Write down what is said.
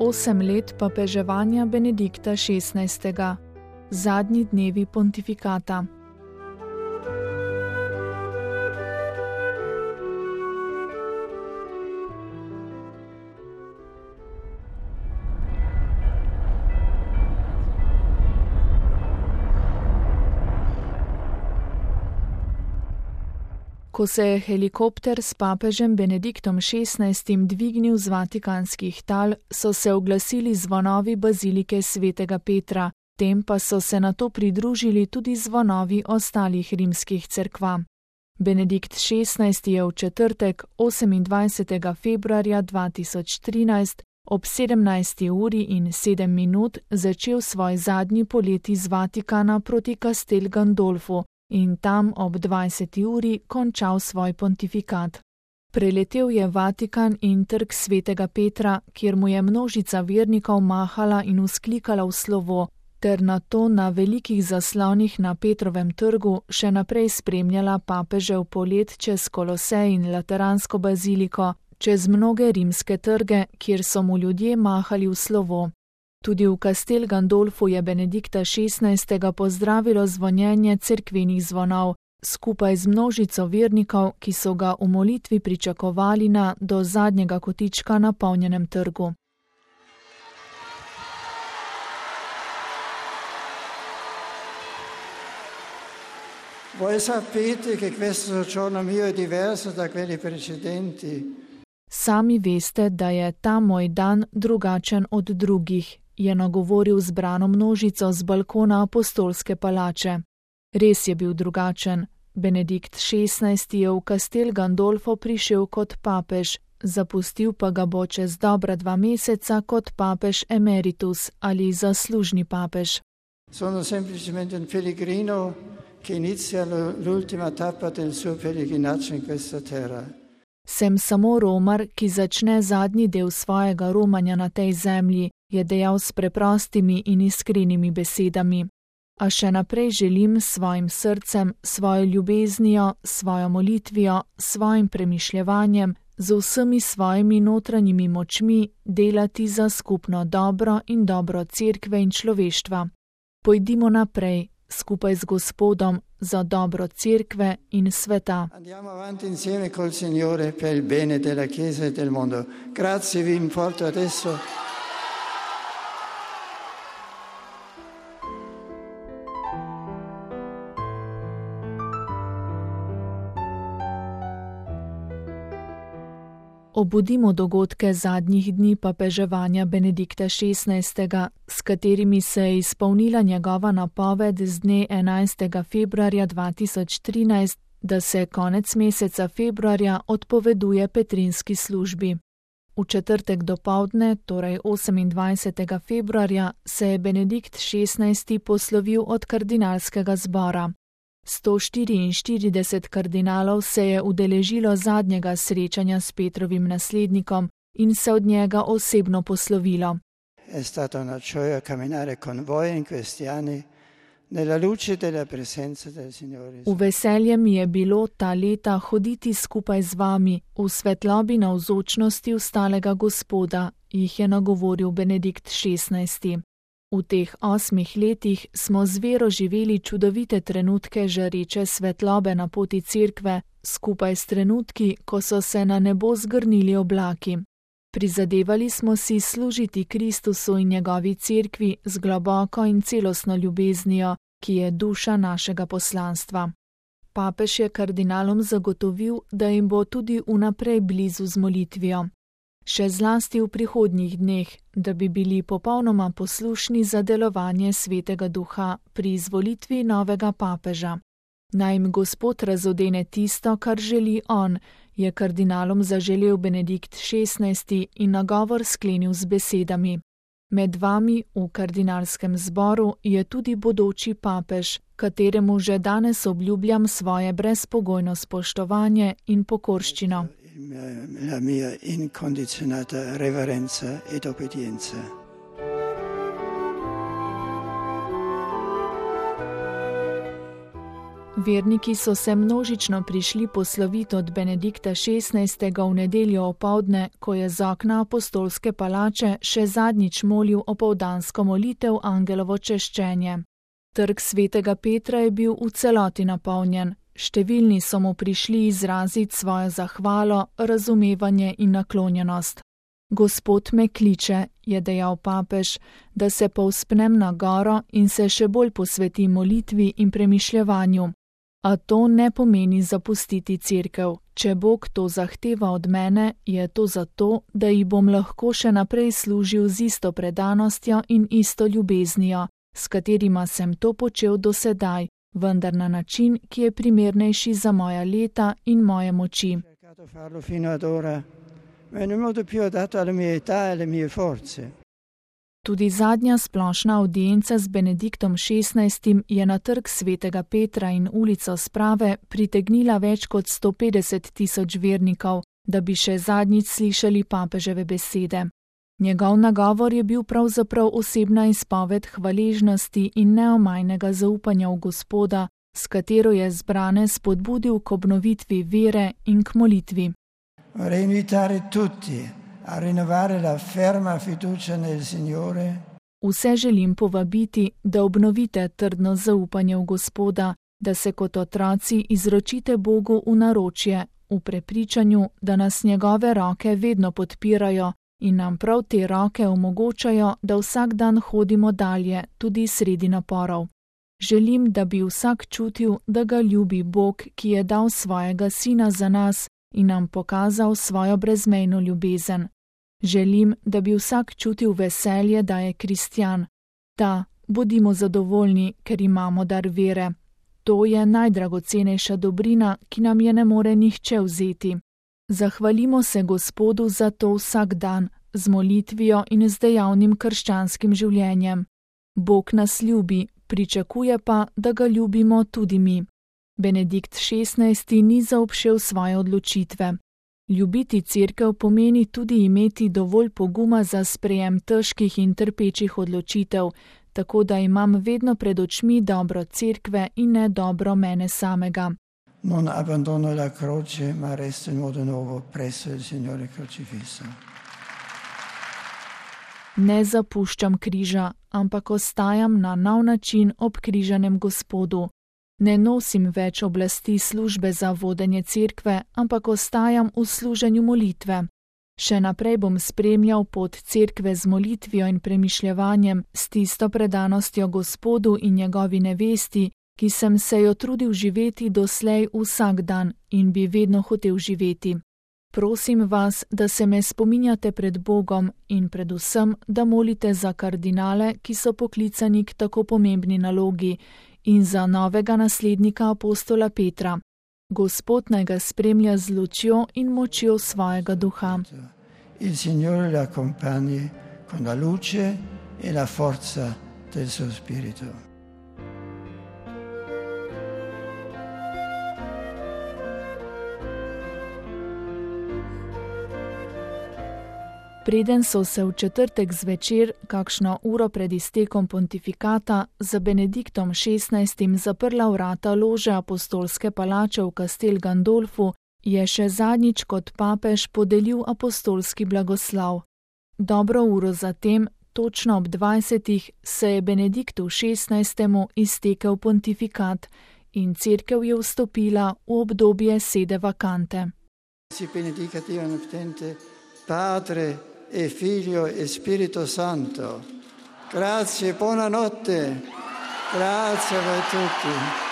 8 let papeževanja Benedikta XVI. Zadnji dnevi pontifikata. Ko se je helikopter s papežem Benediktom XVI. Dvignil z vatikanskih tal, so se oglasili zvonovi bazilike svetega Petra, tem pa so se nato pridružili tudi zvonovi ostalih rimskih cerkva. Benedikt XVI. Je v četrtek, 28. februarja 2013, ob 17:07 začel svoj zadnji polet iz Vatikana proti Castel Gandolfu in tam ob 20. uri končal svoj pontifikat. Preletel je Vatikan in trg svetega Petra, kjer mu je množica vernikov mahala in vzklikala v slovo, ter nato na velikih zaslonih na Petrovem trgu še naprej spremljala papežev polet čez Kolosej in Lateransko baziliko, čez mnoge rimske trge, kjer so mu ljudje mahali v slovo. Tudi v Castel Gandolfu je Benedikta XVI. Pozdravilo zvonjenje cerkvenih zvonov, skupaj z množico vernikov, ki so ga v molitvi pričakovali na do zadnjega kotička napolnjenem trgu. Voi sapete che questo soggiorno mio è diverso da quelli precedenti. Sami veste, da je ta moj dan drugačen od drugih, je nagovoril zbrano množico z balkona apostolske palače. Res je bil drugačen. Benedikt XVI. Je v Castel Gandolfo prišel kot papež, zapustil pa ga bo čez dobra 2 meseca kot papež emeritus ali zaslužni papež. Sono semplicemente un pellegrino che inizia l'ultima tappa del suo pellegrinaggio in questa terra. Sem samo romar, ki začne zadnji del svojega romanja na tej zemlji, je dejal s preprostimi in iskrenimi besedami. A še naprej želim s svojim srcem, svojo ljubeznijo, svojo molitvijo, svojim premišljevanjem, z vsemi svojimi notranjimi močmi delati za skupno dobro in dobro cerkve in človeštva. Pojdimo naprej, skupaj z Gospodom, za dobro cerkve in sveta. Andiamo avanti insieme col Signore per il bene della Chiesa e del mondo. Grazie, vi importo adesso. Obudimo dogodke zadnjih dni papeževanja Benedikta XVI., s katerimi se je izpolnila njegova napoved z dne 11. februarja 2013, da se konec meseca februarja odpoveduje petrinski službi. V četrtek dopoldne, torej 28. februarja, se je Benedikt XVI. Poslovil od kardinalskega zbora. 144 kardinalov se je udeležilo zadnjega srečanja s Petrovim naslednikom in se od njega osebno poslovilo. È stata una gioia camminare con voi in questi anni nella luce della presenza del Signore. V veselje mi je bilo ta leta hoditi skupaj z vami v svetlobi navzočnosti ustalega Gospoda, jih je nagovoril Benedikt XVI. V teh 8 letih smo z vero živeli čudovite trenutke žareče svetlobe na poti cerkve, skupaj s trenutki, ko so se na nebo zgrnili oblaki. Prizadevali smo si služiti Kristusu in njegovi cerkvi z globoko in celostno ljubeznijo, ki je duša našega poslanstva. Papež je kardinalom zagotovil, da jim bo tudi vnaprej blizu z molitvijo. Še zlasti v prihodnjih dneh, da bi bili popolnoma poslušni za delovanje Svetega Duha pri izvolitvi novega papeža. Naj jim Gospod razodene tisto, kar želi on, je kardinalom zaželel Benedikt XVI. In nagovor sklenil z besedami. Med vami v kardinalskem zboru je tudi bodoči papež, kateremu že danes obljubljam svoje brezpogojno spoštovanje in pokorščino. La mia incondizionata reverenza ed obbedienza. Verniki so se množično prišli posloviti od Benedikta XVI. V nedeljo opoldne, ko je z okna apostolske palače še zadnjič molil opoldansko molitev Angelovo češčenje. Trg svetega Petra je bil v celoti napolnjen. Številni so mu prišli izraziti svojo zahvalo, razumevanje in naklonjenost. Gospod me kliče, je dejal papež, da se povzpnem na goro in se še bolj posvetim molitvi in premišljevanju. A to ne pomeni zapustiti cerkev. Če Bog to zahteva od mene, je to zato, da ji bom lahko še naprej služil z isto predanostjo in isto ljubeznijo, s katerima sem to počel do sedaj, vendar na način, ki je primernejši za moja leta in moje moči. Tudi zadnja splošna avdienca z Benediktom XVI. Je na trg svetega Petra in ulico Sprave pritegnila več kot 150 000 vernikov, da bi še zadnjič slišali papeževe besede. Njegov nagovor je bil pravzaprav osebna izpoved hvaležnosti in neomajnega zaupanja v Gospoda, s katero je zbrane spodbudil k obnovitvi vere in k molitvi. Vse želim povabiti, da obnovite trdno zaupanje v Gospoda, da se kot otroci izročite Bogu v naročje, v prepričanju, da nas njegove roke vedno podpirajo in nam prav te roke omogočajo, da vsak dan hodimo dalje, tudi sredi naporov. Želim, da bi vsak čutil, da ga ljubi Bog, ki je dal svojega sina za nas in nam pokazal svojo brezmejno ljubezen. Želim, da bi vsak čutil veselje, da je kristjan. Da, bodimo zadovoljni, ker imamo dar vere. To je najdragocenejša dobrina, ki nam je ne more nihče vzeti. Zahvalimo se Gospodu za to vsak dan, z molitvijo in z dejavnim krščanskim življenjem. Bog nas ljubi, pričakuje pa, da ga ljubimo tudi mi. Benedikt XVI. Ni zaobšel svoje odločitve. Ljubiti cerkev pomeni tudi imeti dovolj poguma za sprejem težkih in trpečih odločitev, tako da imam vedno pred očmi dobro cerkve in ne dobro mene samega. Non abbandono la croce, ma resto in modo nuovo presso il Signore crocifisso. Ne zapuščam križa, ampak ostajam na nov način ob križanem Gospodu. Ne nosim več oblasti službe za vodenje cerkve, ampak ostajam v služenju molitve. Še naprej bom spremljal pot cerkve z molitvijo in premišljevanjem, s tisto predanostjo Gospodu in njegovi nevesti, ki sem se jo trudil živeti doslej vsak dan in bi vedno hotel živeti. Prosim vas, da se me spominjate pred Bogom in predvsem, da molite za kardinale, ki so poklicani k tako pomembni nalogi, in za novega naslednika apostola Petra. Gospod naj ga spremlja z lučjo in močjo svojega duha. Il Signore la accompagni con la luce e la forza del suo spirito. Preden so se v četrtek zvečer, kakšno uro pred iztekom pontifikata, za Benediktom XVI. Zaprla vrata lože apostolske palače v Castel Gandolfu, je še zadnjič kot papež podelil apostolski blagoslav. Dobro uro zatem, točno ob 20. se je Benediktu XVI. Iztekel pontifikat in cerkev je vstopila v obdobje sede vakante. Padre e Figlio e Spirito Santo. Grazie, buonanotte. Grazie a voi tutti.